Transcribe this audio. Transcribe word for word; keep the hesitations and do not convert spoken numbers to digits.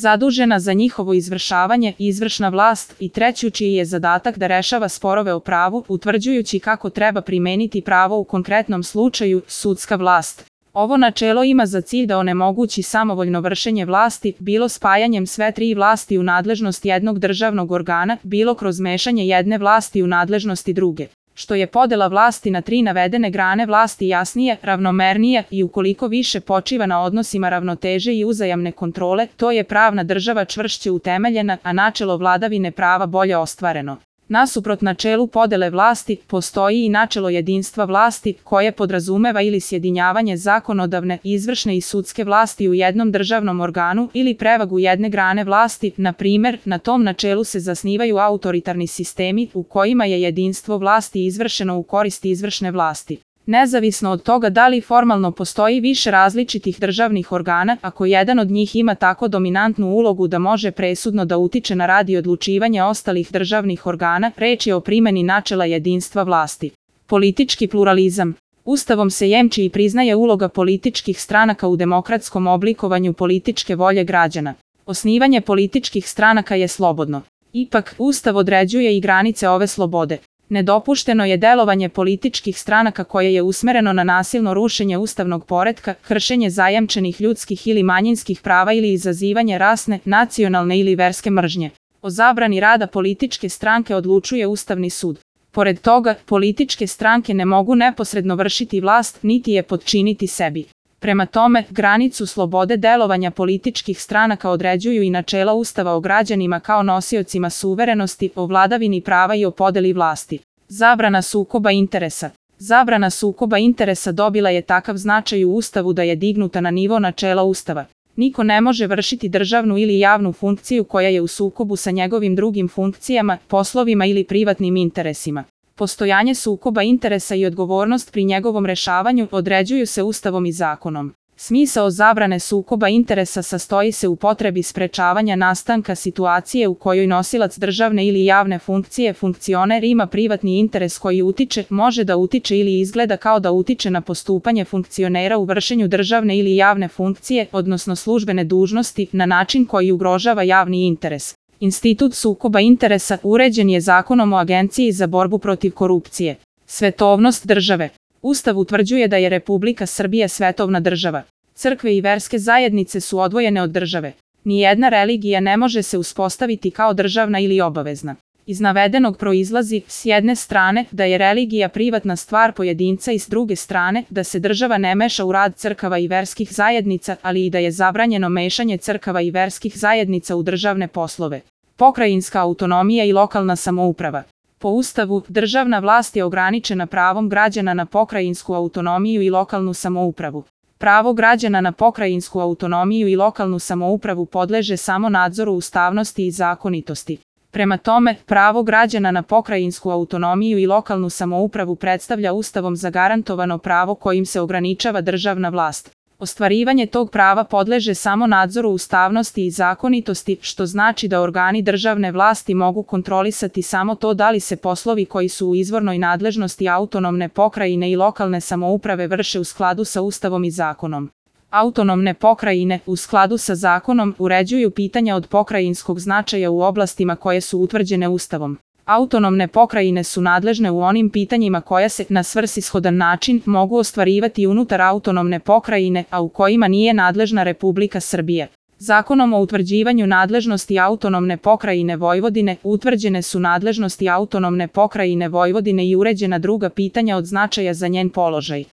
zadužena za njihovo izvršavanje, izvršna vlast, i treću čiji je zadatak da rešava sporove o pravu, utvrđujući kako treba primeniti pravo u konkretnom slučaju, sudska vlast. Ovo načelo ima za cilj da onemogući samovoljno vršenje vlasti, bilo spajanjem sve tri vlasti u nadležnost jednog državnog organa, bilo kroz mešanje jedne vlasti u nadležnosti druge. Što je podela vlasti na tri navedene grane vlasti jasnije, ravnomernije i ukoliko više počiva na odnosima ravnoteže i uzajamne kontrole, to je pravna država čvršće utemeljena, a načelo vladavine prava bolje ostvareno. Nasuprot načelu podele vlasti, postoji i načelo jedinstva vlasti, koje podrazumeva ili sjedinjavanje zakonodavne, izvršne i sudske vlasti u jednom državnom organu ili prevagu jedne grane vlasti. Na primer, na tom načelu se zasnivaju autoritarni sistemi u kojima je jedinstvo vlasti izvršeno u korist izvršne vlasti. Nezavisno od toga da li formalno postoji više različitih državnih organa, ako jedan od njih ima tako dominantnu ulogu da može presudno da utiče na rad i odlučivanje ostalih državnih organa, reč je o primeni načela jedinstva vlasti. Politički pluralizam. Ustavom se jemči i priznaje uloga političkih stranaka u demokratskom oblikovanju političke volje građana. Osnivanje političkih stranaka je slobodno. Ipak, Ustav određuje i granice ove slobode. Nedopušteno je delovanje političkih stranaka koje je usmereno na nasilno rušenje ustavnog poretka, kršenje zajamčenih ljudskih ili manjinskih prava ili izazivanje rasne, nacionalne ili verske mržnje. O zabrani rada političke stranke odlučuje Ustavni sud. Pored toga, političke stranke ne mogu neposredno vršiti vlast, niti je potčiniti sebi. Prema tome, granicu slobode delovanja političkih stranaka određuju i načela Ustava o građanima kao nosiocima suverenosti, o vladavini prava i o podeli vlasti. Zabrana sukoba interesa. Zabrana sukoba interesa dobila je takav značaj u Ustavu da je dignuta na nivo načela Ustava. Niko ne može vršiti državnu ili javnu funkciju koja je u sukobu sa njegovim drugim funkcijama, poslovima ili privatnim interesima. Postojanje sukoba interesa i odgovornost pri njegovom rešavanju određuju se Ustavom i zakonom. Smisao zabrane sukoba interesa sastoji se u potrebi sprečavanja nastanka situacije u kojoj nosilac državne ili javne funkcije funkcioner ima privatni interes koji utiče, može da utiče ili izgleda kao da utiče na postupanje funkcionera u vršenju državne ili javne funkcije, odnosno službene dužnosti, na način koji ugrožava javni interes. Institut sukoba interesa uređen je Zakonom o Agenciji za borbu protiv korupcije. Svetovnost države. Ustav utvrđuje da je Republika Srbija svetovna država. Crkve i verske zajednice su odvojene od države. Nijedna religija ne može se uspostaviti kao državna ili obavezna. Iz navedenog proizlazi, s jedne strane, da je religija privatna stvar pojedinca i s druge strane, da se država ne meša u rad crkava i verskih zajednica, ali i da je zabranjeno mešanje crkava i verskih zajednica u državne poslove. Pokrajinska autonomija i lokalna samouprava. Po Ustavu, državna vlast je ograničena pravom građana na pokrajinsku autonomiju i lokalnu samoupravu. Pravo građana na pokrajinsku autonomiju i lokalnu samoupravu podleže samo nadzoru ustavnosti i zakonitosti. Prema tome, pravo građana na pokrajinsku autonomiju i lokalnu samoupravu predstavlja Ustavom zagarantovano pravo kojim se ograničava državna vlast. Ostvarivanje tog prava podleže samo nadzoru ustavnosti i zakonitosti, što znači da organi državne vlasti mogu kontrolisati samo to da li se poslovi koji su u izvornoj nadležnosti autonomne pokrajine i lokalne samouprave vrše u skladu sa Ustavom i zakonom. Autonomne pokrajine, u skladu sa zakonom, uređuju pitanja od pokrajinskog značaja u oblastima koje su utvrđene Ustavom. Autonomne pokrajine su nadležne u onim pitanjima koja se, na svrsishodan način, mogu ostvarivati unutar autonomne pokrajine, a u kojima nije nadležna Republika Srbija. Zakonom o utvrđivanju nadležnosti autonomne pokrajine Vojvodine utvrđene su nadležnosti autonomne pokrajine Vojvodine i uređena druga pitanja od značaja za njen položaj.